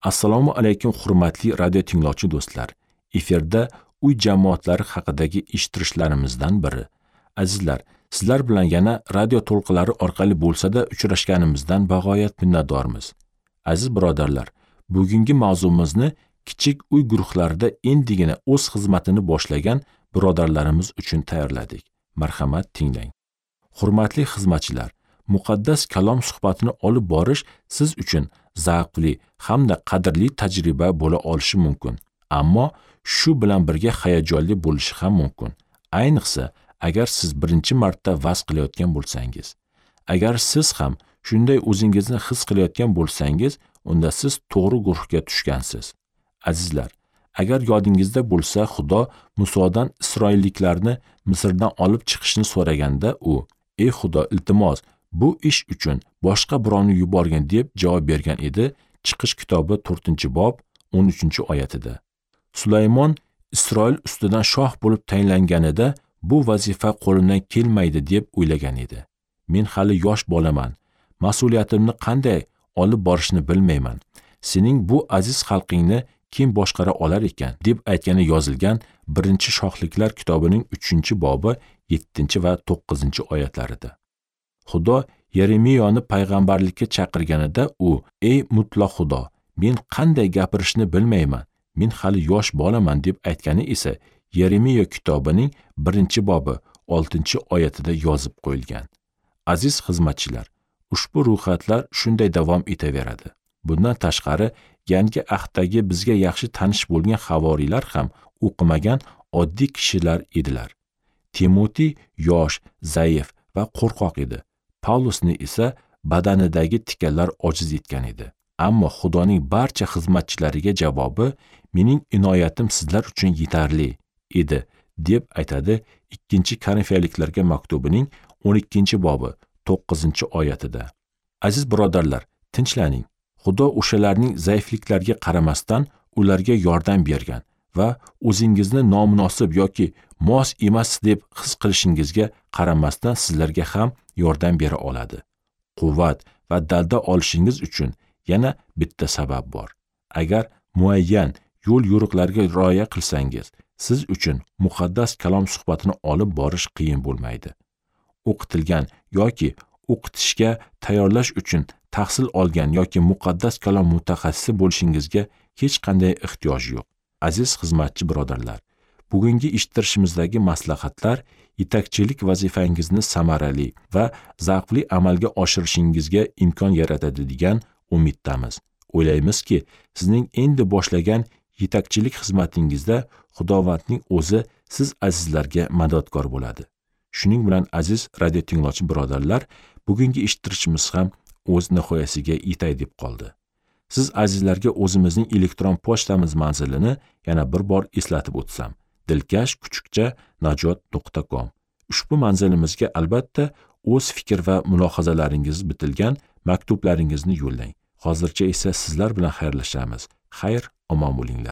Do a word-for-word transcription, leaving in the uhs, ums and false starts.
Assalomu alaykum hurmatli radio tinglovchi do'stlar. Efirda uy jamoatlari haqidagi eshittirishlarimizdan biri. Azizlar, sizlar bilan yana radio to'lqinlari orqali bo'lsa-da uchrashganimizdan bag'oyat minnatdormiz. Aziz birodarlar, bugungi mavzumizni kichik uy guruhlarida endigina o'z xizmatini boshlagan birodarlarimiz uchun tayyorladik. Marhamat, tinglang. Hurmatli xizmatchilar, muqaddas kalom suhbatini olib borish siz uchun zavqli hamda qadrli tajriba bo'la olishi mumkin. Ammo shu bilan birga hayajonli bo'lishi ham mumkin. Ayniqsa, agar siz birinchi marta vaz qilayotgan bo'lsangiz. Agar siz ham shunday o'zingizni his qilayotgan bo'lsangiz, unda siz to'g'ri guruhga tushgansiz. Azizlar, agar yodingizda bo'lsa, Xudo Musodan Isroilliklarni Misrdan olib chiqishni so'raganda u: "Ey Xudo, iltimos, bu ish uchun boshqa birovni yuborgin" deb javob bergan edi. Chiqish kitobi to'rtinchi bob o'n uchinchi oyatida. Sulaymon Isroil ustidan shoh bo'lib tayinlanganida bu vazifa qo'limdan kelmaydi deb o'ylagan edi. Men hali yosh bolaman. Mas'uliyatimni qanday olib borishni bilmayman. Sening bu aziz xalqingni kim boshqara olar ekan deb aytgani yozilgan birinchi Shohliklar kitobining uchinchi bobi yettinchi va to'qqizinchi oyatlarida. Xudo Yeremiyoni payg'ambarlikka chaqirganida u: "Ey mutlaq Xudo, men qanday gapirishni bilmayman. Men hali yosh bolaman" deb aytgani esa Yeremiya kitobining birinchi bobi oltinchi oyatida yozib qo'yilgan. Aziz xizmatchilar, ushbu ro'yxatlar shunday davom etaveradi. Bundan tashqari, yangi ahddagi bizga yaxshi tanish bo'lgan havoriylar ham o'qimagan oddiy kishilar edilar. Timoti yosh, zaif va qo'rqoq edi. Pavlusni esa badanidagi tikanlar ojiz etgan edi. Ammo Xudoning barcha xizmatchilariga javobi: "Mening inoyatim sizlar uchun yetarli" edi deb aytadi ikkinchi Korinfiyaliklarga maktubining o'n ikkinchi bobi to'qqizinchi oyatida. Aziz birodarlar, tinchlaning. Xudo o'shalarning zaifliklariga qaramasdan ularga yordam bergan va o'zingizni nomunosib yoki mos emas deb his qilishingizga qaramasdan sizlarga ham yordam bera oladi. Quvvat va dalda olishingiz uchun yana bitta sabab bor. Agar muayyan yo'l yo'riqlarga rioya qilsangiz, siz uchun muqaddas kalom suhbatini olib borish qiyin bo'lmaydi. O'qitilgan yoki o'qitishga tayyorlash uchun tahsil olgan yoki muqaddas kalom mutaxassisi bo'lishingizga hech qanday ehtiyoj yo'q. Aziz xizmatchi birodarlar, bugungi eshittirishimizdagi maslahatlar yetakchilik vazifangizni samarali va zavqli amalga oshirishingizga imkon yaratadi degan umiddamiz. O'ylaymizki, sizning endi boshlagan yetakchilik xizmatingizda Xudovandning o'zi siz azizlarga madadkor bo'ladi. Shuning bilan aziz radio tinglovchi birodarlar, bugungi eshittirishimiz ham o'z nihoyasiga yetay deb qoldi. Siz azizlarga o'zimizning elektron pochtamiz manzilini yana bir bor eslatib o'tsam: dilkash kuchukcha najot nuqta com. Ushbu manzilimizga albatta o'z fikr va mulohazalaringiz bitilgan maktublaringizni yo'llang. Hozircha esa sizlar bilan xayrlashamiz. Xayr, omon bo'linglar.